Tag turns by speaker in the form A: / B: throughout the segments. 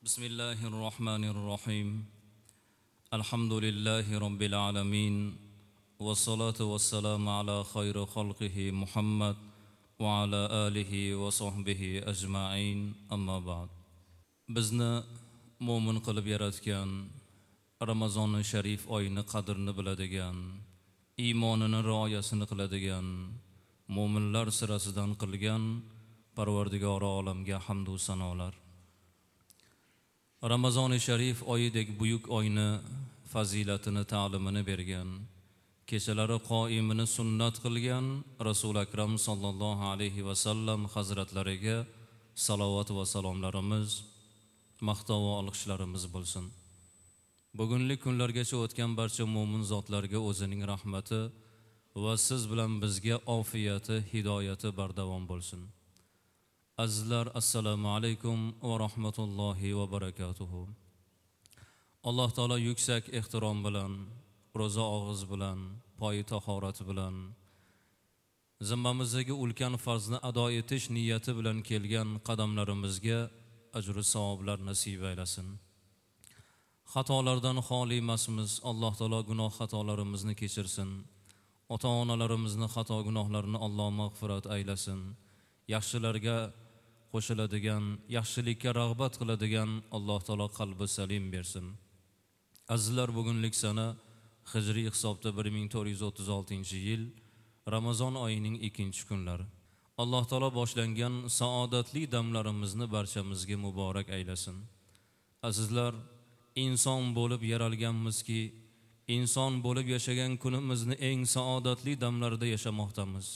A: Bismillahir Rahmanir Rahim. Alhamdulillahi Rabbil alamin. Vassalatu vassalamu ala khayri xalqihi Muhammad va ala alihi va sahbihi ajma'in. Amma ba'd. Bizni mo'min qilib yaratgan, Ramazoni sharif oyini qadrini biladigan, iymonini rioyasini qiladigan, mo'minlar sirasidan qilgan Parvardigori olamga hamd va sanolar. Ramazoni sharif oyidek buyuk oyni fazilatini, ta'limini bergan, kechalari qoimini sunnat qilgan Rasul Akram sallallohu alayhi va sallam hazratlariga salovat va salomlarimiz, maqtov va olqishlarimiz bo'lsin. Bugunlik kunlargacha o'tgan barcha mo'min zotlarga o'zining rahmati va siz bilan bizga ofiyati, hidoyati bardavom bo'lsin. Azizlar, assalomu alaykum va rahmatullohi va barakatuhu. Alloh taolo yuksak ehtirom bilan, ro'za og'iz bilan, poyi tahorat bilan zimmamizdagi ulkan farzni ado etish niyati bilan kelgan qadamlarimizga ajr va savoblar nasib aylasin. Xatolardan xoli emasmiz. Alloh taolo gunoh xatolarimizni kechirsin. Ota-onalarimizni xato gunohlarini Alloh mag'firat aylasin. Yaxshilarga qo'shiladigan, yaxshilikka rag'bat qiladigan Alloh taolo qalbi salim bersin. Azizlar, bugunlik sana hijriy hisobda 1436-yil Ramazon oyining 2-kunlari. Alloh taolo boshlangan saodatli damlarimizni barchamizga muborak aylasin. Azizlar, inson bo'lib yaralganmizki, inson bo'lib yashagan kunimizni eng saodatli damlarida yashamoqdamiz.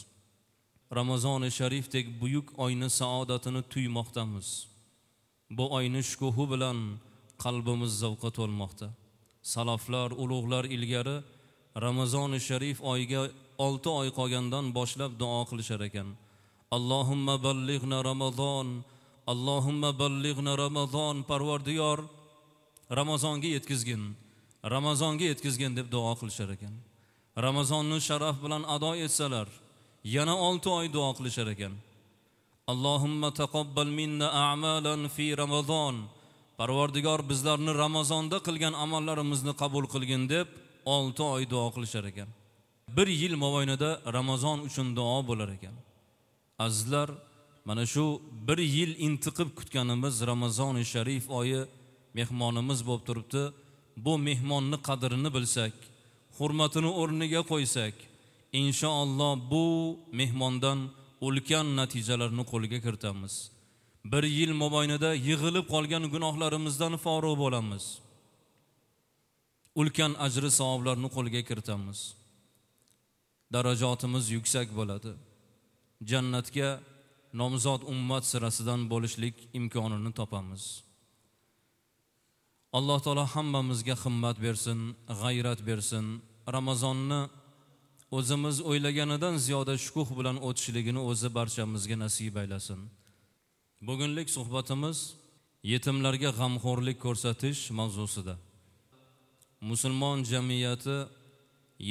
A: Ramazoni sharifdek buyuk oyni saodatini tuymoqdamiz. Bu oyni shukuhi bilan qalbimiz zavqqa to'lmoqda. Salaflar, ulug'lar ilgari Ramazoni sharif oyiga 6 oy qolgandan boshlab duo qilishar ekan. Allohumma ballighna Ramazon, Allohumma ballighna Ramazon, Parvardigor Ramazonga yetkazgin, Ramazonga yetkazgin deb duo qilishar ekan. Ramazonni sharaf bilan ado etsalar, yana 6 oy duo qilishar ekan. Allohumma taqabbal minna a'malan fi Ramazon. Parvardigor bizlarni Ramazonda qilgan amallarimizni qabul qilgin deb 6 oy duo qilishar ekan. Bir yil mobaynida Ramazon uchun duo bo'lar ekan. Azizlar, mana shu bir yil intiqib kutganimiz Ramazoni sharif oyi mehmonimiz bo'lib turibdi. Bu mehmonni qadrini bilsak, hurmatini o'rniga qo'ysak, inshaalloh bu mehmondan ulkan natijalarni qo'lga kiritamiz. Bir yil mobaynida yig'ilib qolgan gunohlarimizdan forig' bo'lamiz. Ulkan ajri savoblarni qo'lga kiritamiz. Darajotimiz yuksak bo'ladi. Jannatga nomzod ummat sirasidan bo'lishlik imkonini topamiz. Alloh taolo hammamizga himmat bersin, g'ayrat bersin. Ramazonni o'zimiz o'ylaganidan ziyoda shukuh bilan o'tishligini o'zi barchamizga nasib aylasin. Bugunlik suhbatimiz yetimlarga g'amxo'rlik ko'rsatish mavzusida. Musulmon jamiyati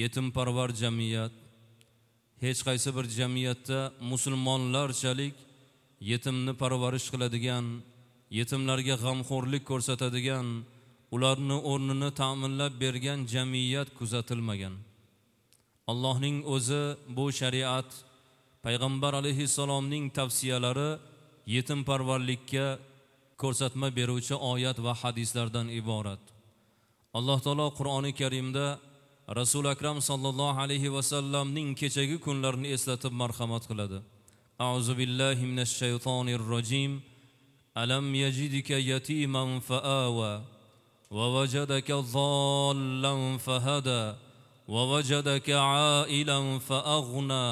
A: yetimparvar jamiyat. Hech qaysi bir jamiyatda musulmonlarchalik yetimni parvarish qiladigan, yetimlarga g'amxo'rlik ko'rsatadigan, ularni o'rnini ta'minlab bergan jamiyat kuzatilmagan. Allohning o'zi bu shariat, payg'ambar alayhissalomning tavsiyalari yetimparvarlikka ko'rsatma beruvchi oyat va hadislardan iborat. Alloh taolo Qur'oni Karimda Rasul Akram sallallohu alayhi va sallamning kechagi kunlarini eslatib marhamat qiladi. A'uzu billahi minash shaytonir rojim. Alam yajidika yatiman faawa va wajadaka zallan fahada va wajadaka ailan faaghna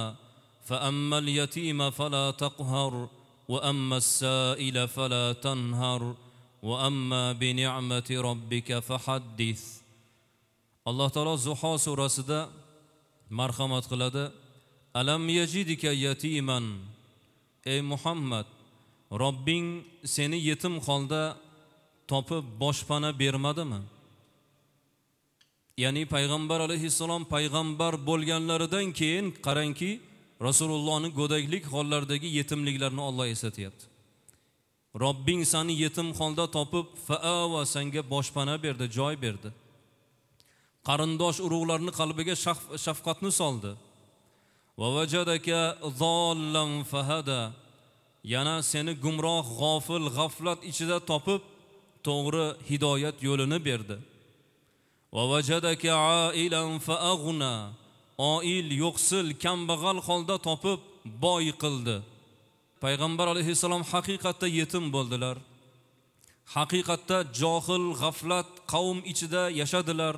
A: fa ammal yatima fala taqhar va ammas saila fala tanhar va amma bi ni'mati robbika fahaddis. Alloh taolo Zuho surasida marhamat qiladi. Alam yajidika yatiman, ey Muhammad, Robbing seni yetim holda topib boshpana bermadimi? Ya'ni payg'ambar alayhissalom payg'ambar bo'lganlaridan keyin qarangki, Rasulullohning go'daklik hollaridagi yetimliklarini Alloh eslatyapti. Robbing seni yetim holda topib, faawa, senga boshpana berdi, joy berdi. Qarindosh urug'larni qalbiga shafqatni soldi. Va vajadaka zollan fahada. Yana seni gumroh, g'ofil, g'aflat ichida topib, to'g'ri hidoyat yo'lini berdi. Va vajadaka ailan faaghna. Oil, yo'qsil, kambag'al holda topib, boy qildi. Payg'ambar alayhissalom haqiqatda yetim bo'ldilar. Haqiqatda johil, g'aflat qavm ichida yashadilar.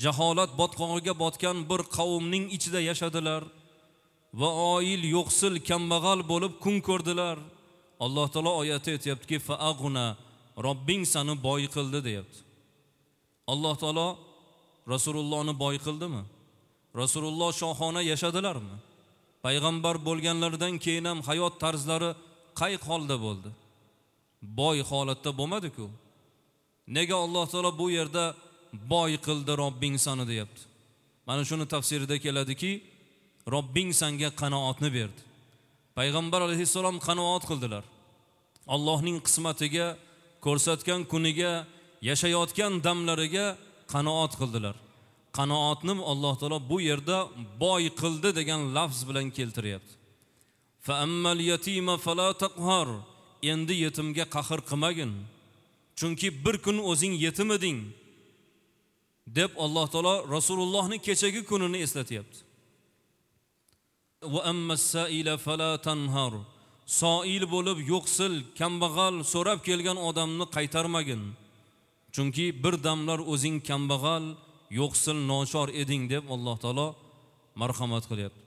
A: Jaholat botqog'iga botgan bir qavmning ichida yashadilar va oil, yo'qsil, kambag'al bo'lib kun ko'rdilar. Alloh taolo oyatda aytayaptiki, faaghna, Robbing seni boy qildi deyapti. Alloh taolo Rasulullohni boy qildimi? Rasululloh shohona yashadilarmi? Payg'ambar bo'lganlaridan keyin ham hayot tarzlari qay holda bo'ldi? Boy holatda bo'lmadi-ku. Nega Alloh taolo bu yerda boy qildi Robbing seni deyapti? Mana shuni tafsirida keladiki, Robbing senga qanoatni berdi. Payg'ambar alayhissalom qanoat qildilar. Allohning qismatiga, ko'rsatgan kuniga, yashayotgan damlariga qanoat qildilar. Qanoatni Alloh taolo bu yerda boy qildi degan lafz bilan keltiryapti. Fa ammal yatima fala taqhar. Endi yetimga qahr qilmagin. Chunki bir kun o'zing yetim eding deb Alloh taolo Rasulullohning kechagi kunini eslatyapti. Va ammas saila fala tanhar. Soil bo'lib yo'qsil, kambag'al so'rab kelgan odamni qaytarmagin. Chunki bir damlar o'zing kambag'al, yo'qsil, nochor eding deb Alloh taolo marhamat qilyapti.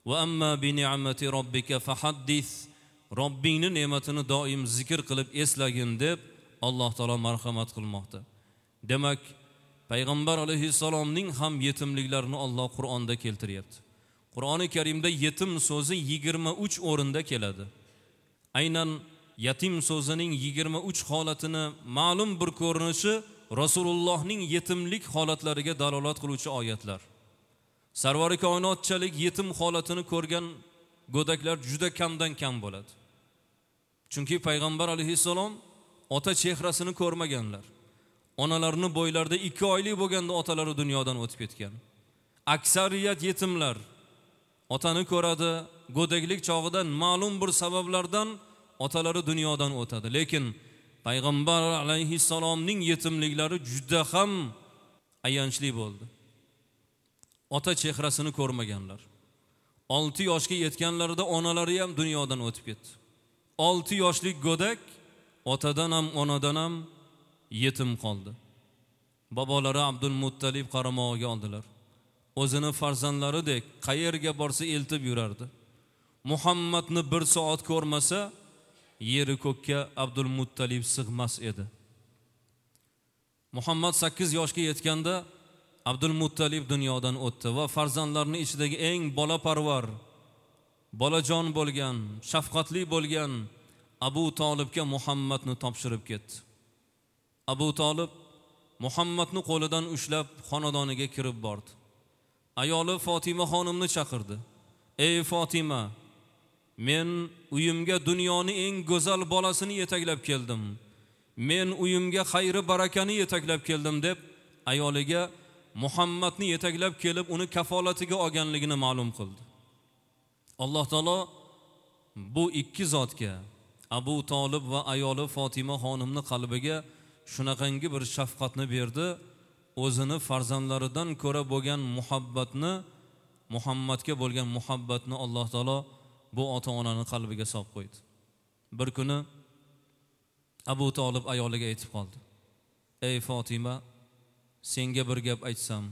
A: Va amma bi ni'mati robbika fahaddis. Robbingning ne'matini doim zikr qilib eslagin deb Alloh taolo marhamat qilmoqda. Demak, Payg'ambar alayhissalomning ham yetimliklarini Alloh Qur'onda keltiryapti. Qur'oni Karimda yetim so'zi 23 o'rinda keladi. Aynan yetim so'zining 23 holatini ma'lum bir ko'rinishi Rasulullohning yetimlik holatlariga dalolat qiluvchi oyatlar. Sarvari koinotchalik yetim holatini ko'rgan go'daklar juda kamdan kam bo'ladi. Chunki Payg'ambar alayhissalom ota chehrasini ko'rmaganlar. Onalarini bo'ylarida 2 oylik bo'lganda otalari dunyodan o'tib ketgan. Aksariyat yetimlar otani ko'radi, go'daklik chog'ida ma'lum bir sabablardan otalari dunyodan o'tadi. Lekin Payg'ambar alayhissalomning yetimliklari juda ham ayanchli bo'ldi. Ota chehrasini ko'rmaganlar. 6 yoshga yetganlarida onalari ham dunyodan o'tib ketdi. 6 yoshlik go'dak otadan ham onadan ham yetim qoldi. Bobolari Abdul Muttalib qaramog'iga oldilar. O'zini farzandlaridek qayerga borsa eltib yurardi. Muhammadni bir soat ko'rmasa, yeri ko'kka Abdul Muttalib sig'mas edi. Muhammad 8 yoshga yetganda Abdul Muttalib dunyodan o'tdi va farzandlarining ichidagi eng bolaparvar, bolajon bo'lgan, shafqatli bo'lgan Abu Tolibga Muhammadni topshirib ketdi. Abu Tolib Muhammadni qo'lidan ushlab xonadoniga kirib bordi. Ayoli Fatima xonimni chaqirdi. Ey Fatima, men uyimga dunyoning eng go'zal bolasini yetaklab keldim. Men uyimga xayri barakani yetaklab keldim deb ayoliga Muhammadni yetaklab kelib uni kafolatiga olganligini ma'lum qildi. Alloh taolo bu ikki zotga, Abu Tolib va ayoli Fatima xonimni qalbiga shunaqangi bir shafqatni berdi. O'zini farzandlaridan ko'ra bo'lgan muhabbatni, Muhammadga bo'lgan muhabbatni Alloh taolo bu ota-onaning qalbiga solib qo'ydi. Bir kuni Abu Tolib ayoliga aytib qoldi. Ey Fatima, senga bir gap aytsam,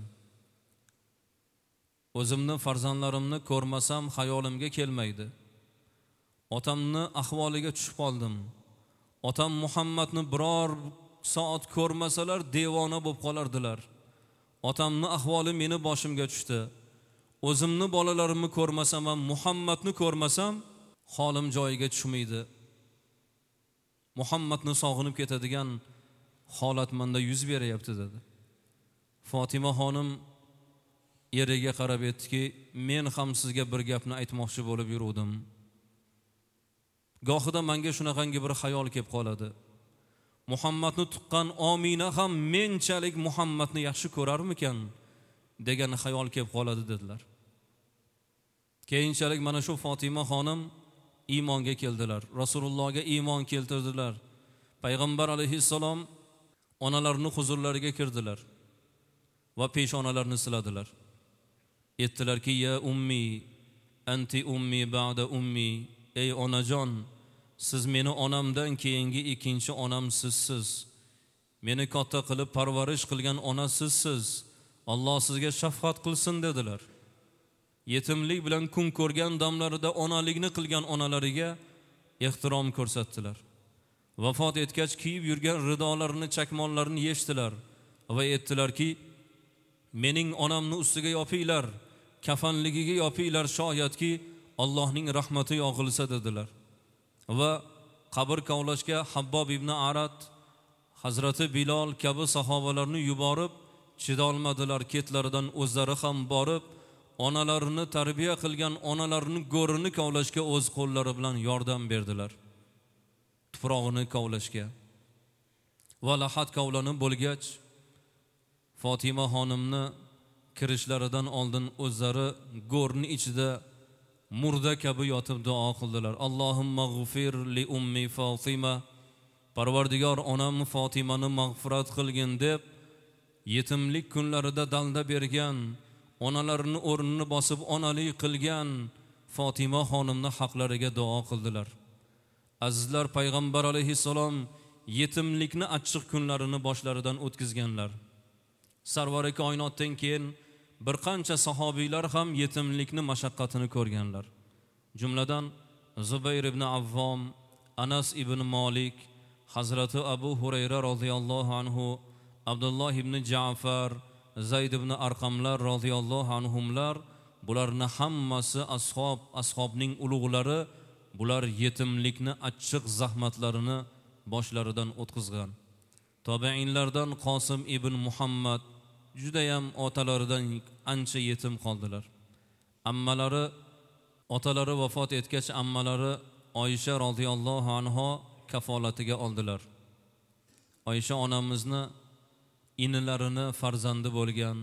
A: o'zimni farzandlarimni ko'rmasam xayolimga kelmaydi. Otamni ahvoliga tushib qoldim. Otam Muhammadni biror soat ko'rmasalar devona bo'lib qolardilar. Otamni ahvoli meni boshimga tushdi. O'zimni bolalarimni ko'rmasam ham Muhammadni ko'rmasam holim joyiga tushmaydi. Muhammadni sog'inib ketadigan holat menda yuz beryapti dedi. Fatima xonim eriga qarab aytdiki, men ham sizga bir gapni aytmoqchi bo'lib yuruvdim. Gohida menga shunaqangi bir xayol kelib qoladi. Muhammadni tuqqan Omina ham menchalik Muhammadni yaxshi ko'rarmikan degan xayol kelib qoladi dedilar. Keyinchalik mana shu Fatima xonim iymonga keldilar. Rasulullohga iymon keltirdilar. Payg'ambar alayhissalom onalarini huzurlariga kirdilar va peshonalarini siladilar. Aytdilarki: "Ya ummi, anti ummi ba'da ummi." Ey onajon, siz meni onamdan keyingi ikkinchi onam sizsiz. Meni katta qilib parvarish qilgan ona sizsiz. Alloh sizga shafqat qilsin dedilar. Yetimlik bilan kun ko'rgan damlarida onalikni qilgan onalariga ehtirom ko'rsatdilar. Vafot etgach kiyib yurgan ridolarini, chakmonlarini yechdilar va aytdilarki: "Mening onamni ustiga yopinglar, kafanligiga yopinglar, shoyatki Allohning rahmati yog'ilsa" dedilar. Va qabr kavlashga Habbob ibn Arat, Hazrati Bilol kabi sahobalarni yuborib, chidolmadilar, ketlaridan o'zlari ham borib, onalarini tarbiya qilgan onalarini go'rini kavlashga o'z qo'llari bilan yordam berdilar. Tuprog'ini kavlashga. Va lahat kavlanib bo'lgach, Fatima xonimni kirishlaridan oldin o'zlari go'rni ichida murda kabi yotib duo qildilar. Allohumma g'fir li ummi Fatima, Parvardigor onam Fatimani mag'firat qilgin deb yetimlik kunlarida dalda bergan, onalarini o'rnini bosib onalik qilgan Fatima xonimni haqlariga duo qildilar. Azizlar, payg'ambar alayhissalom yetimlikni achchiq kunlarini boshlaridan o'tkazganlar. Sarvari koinotdan keyin bir qancha sahobiylar ham yetimlikni mashaqqatini ko'rganlar. Jumladan Zubayr ibn Avvom, Anas ibn Malik, Hazrati Abu Hurayra radhiyallohu anhu, Abdulloh ibn Ja'far, Zayd ibn Arqamlar radhiyallohu anhumlar, bularni hammasi ashob, ashobning ulug'lari, bular yetimlikni achchiq zahmatlarini boshlaridan o'tkazgan. Tobiinlardan Qosim ibn Muhammad judayam otalaridan ancha yetim qoldilar. Ammalari, otalari vafot etgach ammalari Oysha radhiyallohu anha kafolatiga oldilar. Oysha onamizni inilarini farzandi bo'lgan,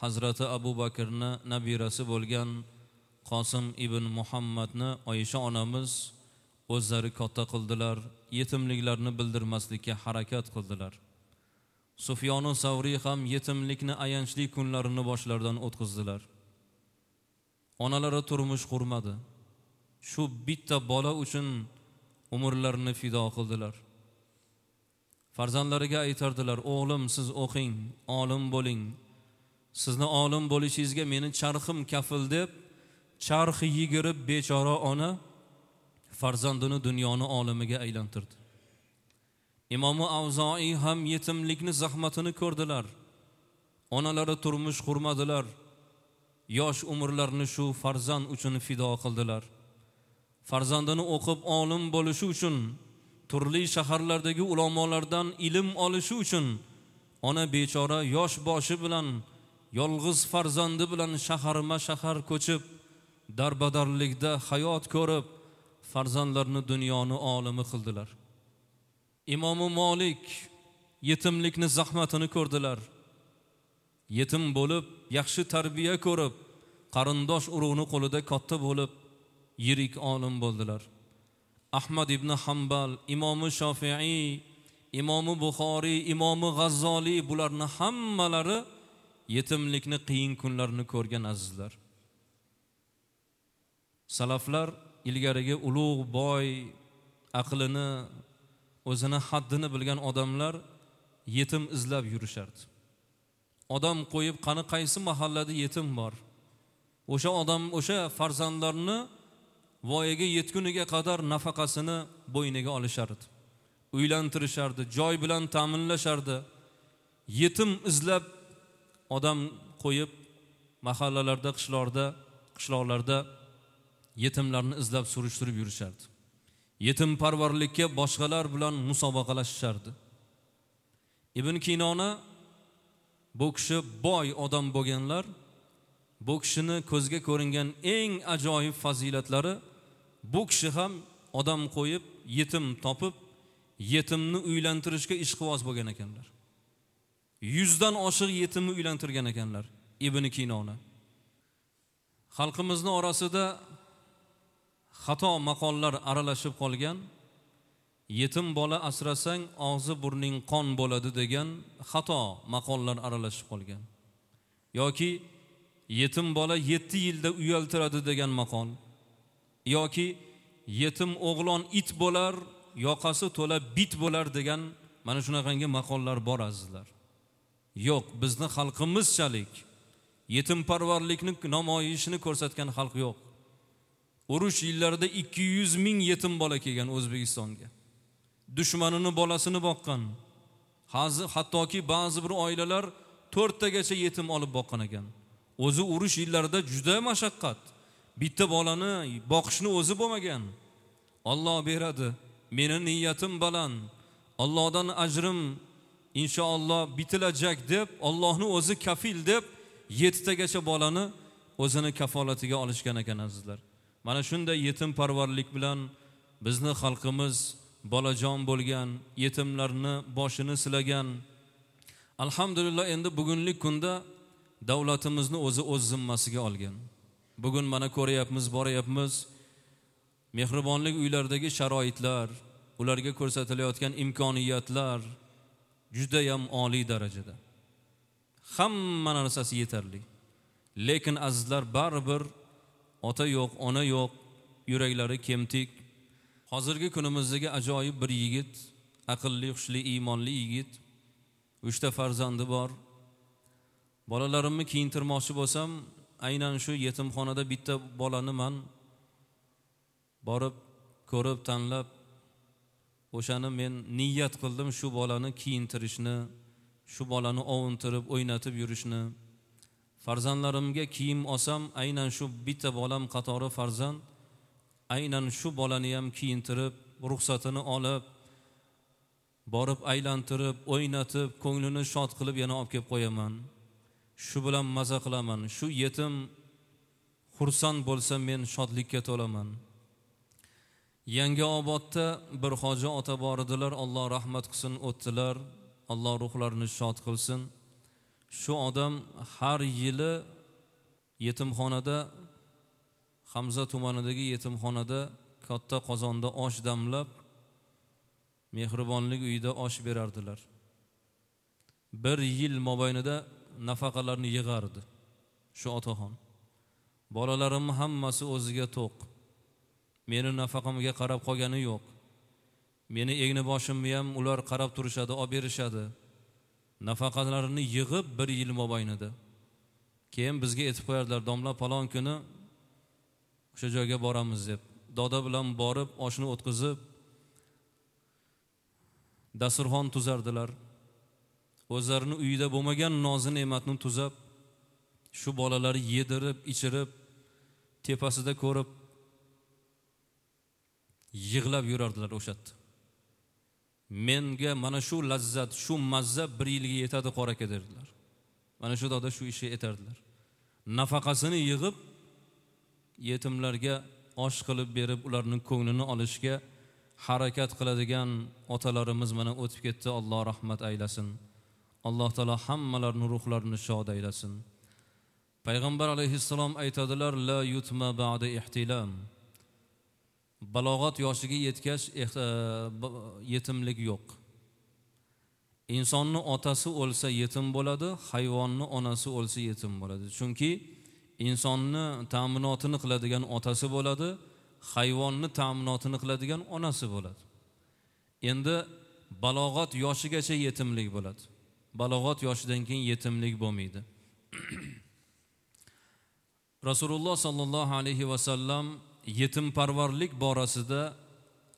A: Hazrati Abu Bakrni nabirasi bo'lgan Qosim ibn Muhammadni Oysha onamiz o'zlari katta qildilar, yetimliklarini bildirmaslikka harakat qildilar. Sufyonu Savriy ham yetimlikni ayanchli kunlarini boshlaridan o'tkazdilar. Onalari turmush qurmadi. Shu bitta bola uchun umrlarini fido qildilar. Farzandlariga aytardilar: "O'g'lim, siz o'qing, olim bo'ling. Sizni olim bo'lishingizga meni charxim kafil" deb charx yigirib bechora ona farzandini dunyoni olimiga aylantirdi. Imomi Avzoiy ham yetimlikni zahmatini ko'rdilar. Onalari turmush qurmadilar. Yosh umrlarini shu farzand uchun fido qildilar. Farzandini o'qib olim bo'lishi uchun, turli shaharlardagi ulamolardan ilm olishi uchun ona bechora yosh boshi bilan, yolg'iz farzandi bilan shaharma-shahar ko'chib, darbadarlikda hayot ko'rib, farzandlarini dunyoni olimi qildilar. Imomi Malik yetimlikni zahmatini ko'rdilar. Yetim bo'lib, yaxshi tarbiya ko'rib, qarindosh urug'ni qo'lida katta bo'lib, yirik olim bo'ldilar. Ahmad ibn Hanbal, Imomi Shofiiy, Imomi Buxoriy, Imomi G'azzoliy, bularni hammalari yetimlikni qiyin kunlarini ko'rgan azizlar. Salaflar ilgarigi ulug' boy, aqlini, o'zini haddini bilgan odamlar yetim izlab yurishardi. Odam qo'yib, qani qaysi mahallada yetim bor, o'sha odam, o'sha farzandlarni voyaga yetguniga qadar nafaqasini bo'yniga olishardi. Uylantirishardi, joy bilan ta'minlashardi. Yetim izlab odam qo'yib mahallalarda, qishloqlarda yetimlarni izlab surishtirib yurishardi. Yetimparvarlikka boshqalar bilan musobaqalashishardi. Ibn Kinona, bu kishi boy odam bo'lganlar, bu kishini ko'zga ko'ringan eng ajoyib fazilatlari, bu kishi ham odam qo'yib, yetim topib, yetimni uylantirishga ishqiboz bo'lgan ekanlar. 100 dan oshiq yetimni uylantirgan ekanlar Ibn Kinona. Xalqimizning orasida xato maqollar aralashib qolgan. Yetim bola asrasang og'zi burning qon bo'ladi degan xato maqollar aralashib qolgan. Yoki yetim bola 7 yilda uyaltiradi degan maqol. Yoki yetim o'g'lon it bo'lar, yoqasi to'la bit bo'lar degan mana shunaqangi maqollar bor azizlar. Yo'q, bizni xalqimizchalik yetimparvarlikni namoyishini ko'rsatgan xalq yo'q. Urush yillarida 200 ming yetim bola kelgan O'zbekistonga. Dushmanini bolasini boqqan. Hozir hattoki ba'zi bir oilalar 4 tagacha yetim olib boqqan ekan. O'zi urush yillarida juda mashaqqat. Bitta bolani boqishni o'zi bo'lmagan. Alloh beradi. Meni niyatim baland. Allohdan ajrim inshaalloh bitilajak deb, Allohni o'zi kafil deb 7 tagacha bolani o'zini kafolatiga olishgan ekan azizlar. Mana shunday yetimparvarlik bilan bizni xalqimiz bolajon bo'lgan, yetimlarni boshini silagan. Alhamdulillah, endi bugunlik kunda davlatimizni o'zi o'z zimmasiga olgan. Bugun mana ko'ryapmiz, boryapmiz. Mehribonlik uylaridagi sharoitlar, ularga ko'rsatilayotgan imkoniyatlar juda ham oliy darajada. Hamma narsasi yetarli. Lekin azizlar, baribir ota yo'q, ona yo'q, yuraklari kemtik. Hozirgi kunimizdagi ajoyib bir yigit, aqlli, hushli, iymonli yigit, 3 ta farzandi bor. Bolalarimni kiyintirmoqchi bo'lsam, aynan shu yetimxonada bitta bolani man borib ko'rib, tanlab, o'shani men niyat qildim shu bolani kiyintirishni, shu bolani ovuntirib, o'ynatib yurishni. Farzandlarimga kiyim olsam, aynan shu bitta bolam qatori farzand, aynan shu bolani ham kiyintirib, ruxsatini olib, borib aylantirib, o'ynatib, ko'nglini shod qilib yana olib kelib qo'yaman. Shu bilan maza qilaman. Shu yetim xursand bo'lsa, men shodlikka to'laman. Yangiobodda bir hoji ota bor edilar, Alloh rahmat qilsin, o'tdilar. Alloh ruhlarini shod qilsin. Shu odam har yili yetimxonada, Hamza tumanidagi yetimxonada katta qozonda osh damlab, mehribonlik uyida osh berardilar. Bir yil mobaynida nafaqalarni yig'ardi shu otaxon. Bolalarim hammasi o'ziga to'q. Meni nafaqamga qarab qolgani yo'q. Meni egni boshimni ham ular qarab turishadi, olib berishadi. Nafaqalarini yig'ib bir yil mobaynida. Keyin bizga aytib qo'yardilar, domla falon kuni o'sha joyga boramiz deb. Doda bilan borib oshni o'tkazib dasturxon tuzardilar. O'zlarini uyida bo'lmagan nozi ne'matni tuzab, shu bolalarni yedirib, ichirib, tepasida ko'rib yig'lab yurardilar o'sha yerda. Menga mana shu lazzat, shu mazza bir yilga yetadi qora aka derdilar. Mana shu doda shu ishni etardilar. Nafaqasini yig'ib yetimlarga osh qilib berib, ularning ko'nglini olishga harakat qiladigan otalarimiz mana o'tib ketdi. Alloh rahmat aylasin. Alloh taolo hammalarini ruhlarini shod aylasin. Payg'ambar alayhissalom aytadilar: la yutma ba'da ihtilam. Balog'at yoshiga yetgach yetimlik yo'q. Insonni otasi o'lsa yetim bo'ladi, hayvonni onasi o'lsa yetim bo'ladi. Chunki insonni ta'minotini qiladigan otasi bo'ladi, hayvonni ta'minotini qiladigan onasi bo'ladi. Endi balog'at yoshigacha yetimlik bo'ladi. Balog'at yoshidan keyin yetimlik bo'lmaydi. Rasululloh sallallohu alayhi va sallam yetimparvarlik borasida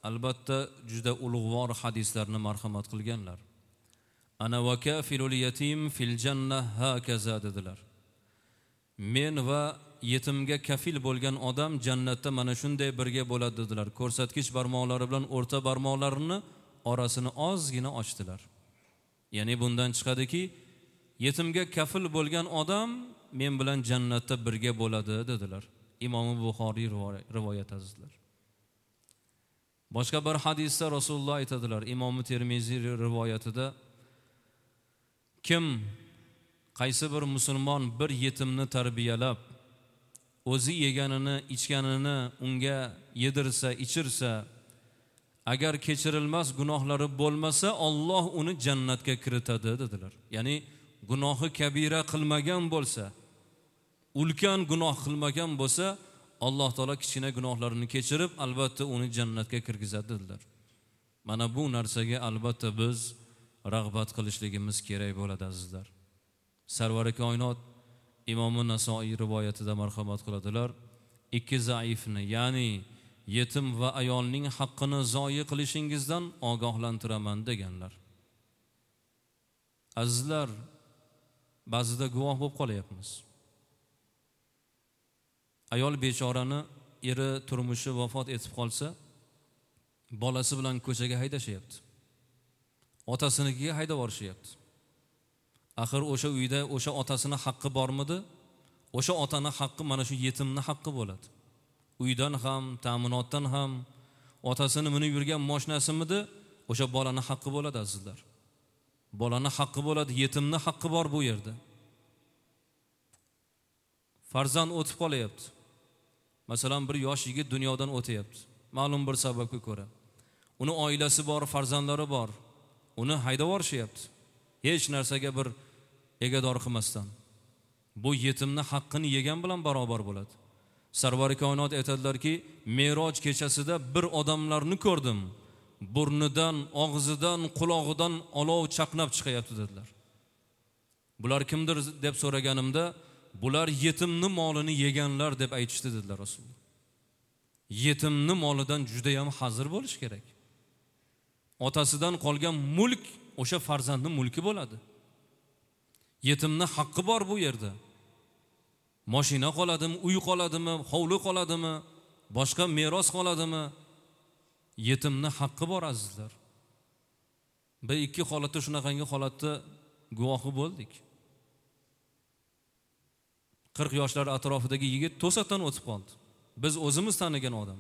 A: albatta juda ulug'vor hadislarni marhamat qilganlar. Ana va kafilul yatim fil janna hakaza dedilar. Men va yetimga kafil bo'lgan odam jannatda mana shunday birga bo'ladi dedilar. Ko'rsatkich barmoqlari bilan o'rta barmoqlarini orasini ozgina ochdilar. Ya'ni bundan chiqadiki, yetimga kafil bo'lgan odam men bilan jannatda birga bo'ladi dedilar. Imom Buxoriy rivoyat azizlar. Boshqa bir hadisda Rasululloh aytadilar, Imom Termiziy rivoyatida, kim qaysi bir musulmon bir yetimni tarbiyalab, o'zi yeganini, ichganini unga yedirsa, ichirsa, agar kechirilmas gunohlari bo'lmasa, Alloh uni jannatga kiritadi dedilar. Ya'ni gunohi kabira qilmagan bo'lsa, ulkan gunoh qilmagan bo'lsa, Alloh taolo kichkina gunohlarini kechirib, albatta uni jannatga kirgizadi dedilar. Mana bu narsaga albatta biz rag'bat qilishligimiz kerak bo'ladi azizlar. Sarvari koinot Imom Nasoiy rivoyatida marhamat qiladilar, ikki zaifni, ya'ni yetim va ayolning haqqini zoyi qilishingizdan ogohlantiraman deganlar. Azizlar, ba'zida guvoh bo'lib qolyapmiz. Ayol bechorani eri turmushi vafot etib qolsa, bolasi bilan ko'chaga haydashyapti. Otasinikiga haydab borishyapti. Axir o'sha uyda o'sha otasini haqqi bormidi? O'sha otani haqqi mana shu yetimni haqqi bo'ladi. Uydan ham, ta'minotdan ham, otasini minib yurgan mashinasimidi? O'sha bolani haqqi bo'ladi azizlar. Bolani haqqi bo'ladi, yetimni haqqi bor bu yerda. Farzand o'tib qolyapti. Masalan, bir yosh yigit dunyodan o'tayapti. Ma'lum bir sababga ko'ra. Uni oilasi bor, farzandlari bor. Uni haydab yuborishyapti. Hech narsaga bir egador qilmasdan. Bu yetimni haqqini yegan bilan barobar bo'ladi. Sarvari koinot aytadilarki, Meroj kechasida bir odamlarni ko'rdim. Burnidan, og'zidan, qulog'idan olov chaqnab chiqayapti dedilar. Bular kimdir deb so'raganimda, bular yetimni molini yeganlar deb aytishdi dedilar Rasululloh. Yetimni molidan juda ham hazir bo'lish kerak. Otasidan qolgan mulk o'sha farzandning mulki bo'ladi. Yetimni haqqi bor bu yerda. Mashina qoladimi, uy qoladimi, hovli qoladimi, boshqa meros qoladimi? Yetimni haqqi bor azizlar. Bir ikki holatda shunaqangi holatda guvohi bo'ldik. 40 yoshlar atrofidagi yigit to'satdan o'tib qoldi. Biz o'zimiz tanigan odam.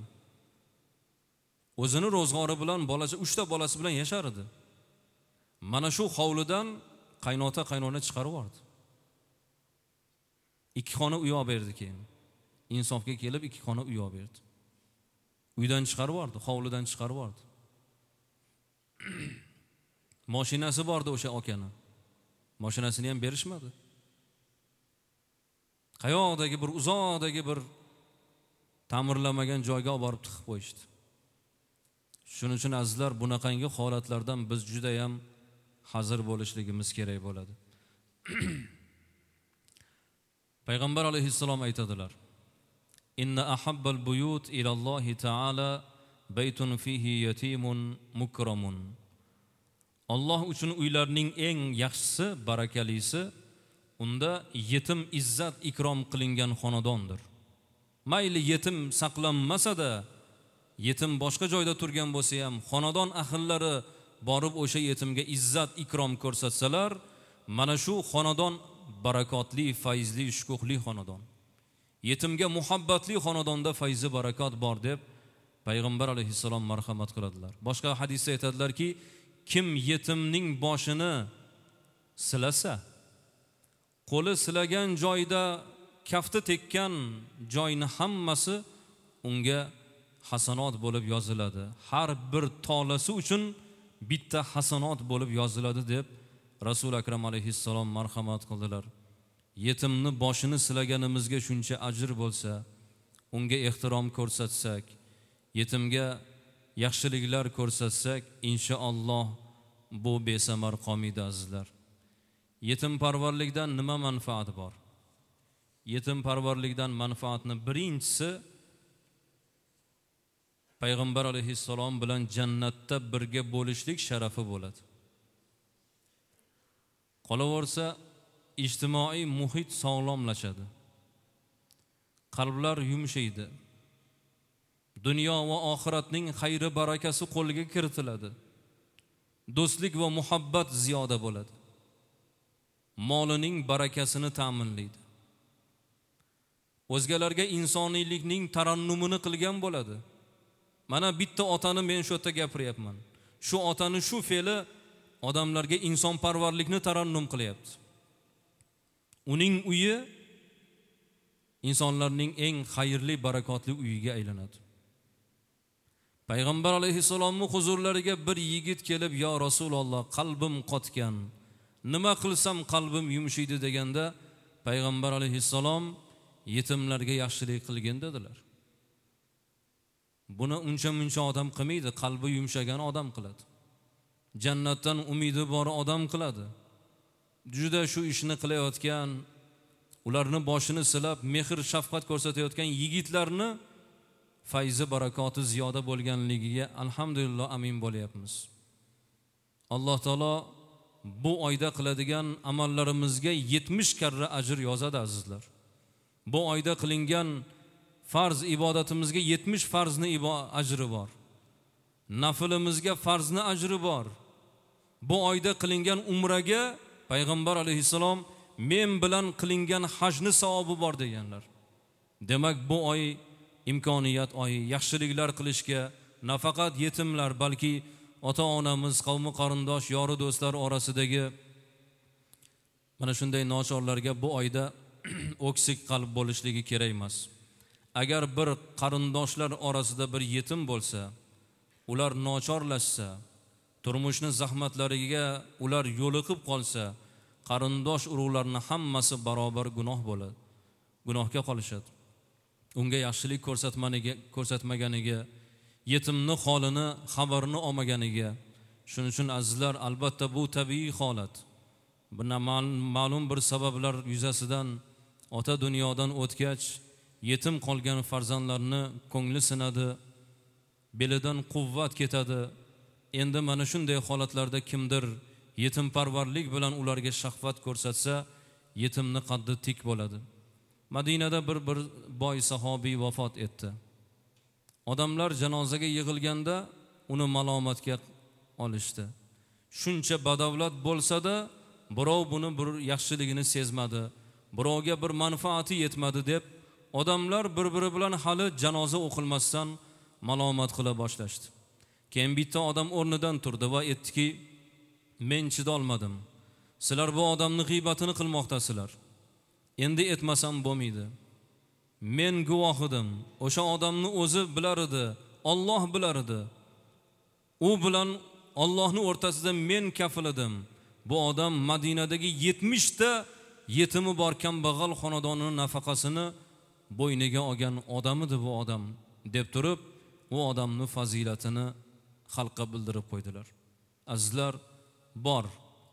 A: O'zini ro'zg'ori bilan bolasi, 3 ta bolasi bilan yashar edi. Mana shu hovlidan qaynota qaynona chiqarib yubordi. 2 xona uy olib berdi keyin. Insofga kelib 2 xona uy olib berdi. Uydan chiqarib yubordi, hovlidan chiqarib yubordi. Mashinasi bordi o'sha akani. Mashinasini ham berishmadi. Qayoqdagi bir uzoqdagi bir ta'mirlamagan joyga olib borib tiqib qo'yishdi. Shuning uchun azizlar, bunaqangi holatlardan biz juda ham hazir bo'lishligimiz kerak bo'ladi. Payg'ambar alayhissalom aytadilar: "Inna ahabbal buyut ila Allohi ta'ala baytun fihi yatimun mukramun." Alloh uchun uylarning eng yaxshisi, barakalisi unda yetim izzat ikrom qilingan xonadondir. Mayli yetim saqlanmasa-da, yetim boshqa joyda turgan bo'lsa ham, xonadon ahllari borib o'sha yetimga izzat ikrom ko'rsatsalar, mana shu xonadon barakotli, fayzli, shukuhli xonadon. Yetimga muhabbatli xonadonda fayzi barakot bor deb Payg'ambar alayhissalom marhamat qiladilar. Boshqa hadisda aytadilarki, kim yetimning boshini silasa, qo'li silagan joyda kafti tekkan joyni hammasi unga hasanot bo'lib yoziladi. Har bir tolasi uchun bitta hasanot bo'lib yoziladi deb Rasul Akram alayhissalom marhamat qildilar. Yetimni boshini silaganimizga shuncha ajr bo'lsa, unga ehtirom ko'rsatsak, yetimga yaxshiliklar ko'rsatsak, inshaalloh bu besamar qolmaydi azizlar. Yetimparvarlikdan nima manfaat bor? Yetimparvarlikdan manfaatni birinchisi Payg'ambar alayhissalom bilan jannatda birga bo'lishlik sharafi bo'ladi. Qolaversa, ijtimoiy muhit sog'lomlashadi. Qalblar yumshaydi. Dunyo va oxiratning xayri barakasi qo'lga kiritiladi. Do'stlik va muhabbat ziyoda bo'ladi. Molining barakasini ta'minlaydi. O'zgalarga insoniylikning tarannumini qilgan bo'ladi. Mana bitta otani men shu yerda gapiryapman. Shu otani shu fe'li odamlarga insonparvarlikni tarannum qilyapti. Uning uyi insonlarning eng xayrli, barakotli uyiga aylanadi. Payg'ambar alayhissalomning huzurlariga bir yigit kelib, "Ya Rasululloh, qalbim qotgan. Nima qilsam qalbim yumshaydi" deganda, Payg'ambar alayhissalom yetimlarga yaxshilik qilgin dedilar. Buni uncha-muncha odam qilmaydi, qalbi yumshagan odam qiladi. Jannatdan umidi bor odam qiladi. Juda shu ishni qilayotgan, ularni boshini silab, mehr shafqat ko'rsatayotgan yigitlarni fayzi barakoti ziyoda bo'lganligiga alhamdulillah amin bo'lyapmiz. Alloh taolo bu oyda qiladigan amallarimizga 70 karra ajr yozadi azizlar. Bu oyda qilingan farz ibodatimizga 70 farzni ajri bor. Nafilimizga farzni ajri bor. Bu oyda qilingan umraga Payg'ambar alayhissalom men bilan qilingan hajni savobi bor deganlar. Demak, bu oy imkoniyat oyi, yaxshiliklar qilishga nafaqat yetimlar, balki ota-onamiz, qavmi qarindosh, yori do'stlar orasidagi mana shunday nochorlarga bu oyda o'ksik qalb bo'lishligi kerak emas. Agar bir qarindoshlar orasida bir yetim bo'lsa, ular nochorlashsa, turmushni zahmatlariga ular yo'liqib qolsa, qarindosh urug'larning hammasi barobar gunoh bo'ladi, gunohga qolishadi. Unga yaxshilik ko'rsatmaganiga, yetimni holini, xabarini olmaganiga. Shuning uchun azizlar, albatta bu tabiiy holat. Bir ma'lum bir sabablar yuzasidan ota dunyodan o'tgach, yetim qolgan farzandlarni ko'ngli sinadi, belidan quvvat ketadi. Endi mana shunday holatlarda kimdir yetimparvarlik bilan ularga shafqat ko'rsatsa, yetimni qaddi tik bo'ladi. Madinada bir boy sahobiy vafot etdi. Odamlar janozaga yig'ilganda uni malomatga olishdi. Shuncha badavlat bo'lsa-da, birov buni bir yaxshiligini sezmadi, birovga bir manfaati yetmadi deb odamlar bir-biri bilan hali janoza o'qilmasdan malomat qila boshlashdi. Keyin bitta odam o'rnidan turdi va aytdiki, men chidolmadim. Sizlar bu odamning g'iybatini qilmoqdasizlar. Endi etmasam bo'lmaydi. Men guvoh edim. O'sha odamni o'zi bilar edi, Alloh bilar edi. U bilan Allohning o'rtasida men kafil edim. Bu odam Madinadagi 70 ta yetimi bor kambag'al xonadonining nafaqasini bo'yniga olgan odam edi bu odam deb turib, u odamning fazilatini xalqqa bildirib qo'ydilar. Azizlar, bor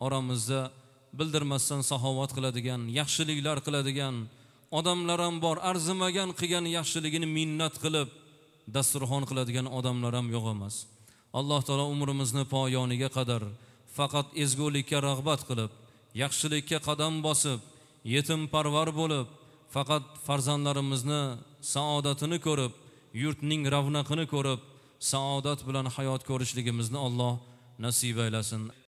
A: oramizda bildirmasdan saxovat qiladigan, yaxshiliklar qiladigan odamlar ham bor, arzimagan qilgan yaxshiligini minnat qilib dasturxon qiladigan odamlar ham yo'q emas. Alloh taolo umrimizni poyoniga qadar faqat ezgulikka rag'bat qilib, yaxshilikka qadam bosib, yetimparvar bo'lib, faqat farzandlarimizni saodatini ko'rib, yurtning ravnaqini ko'rib, saodat bilan hayot ko'rishligimizni Alloh nasib aylasin.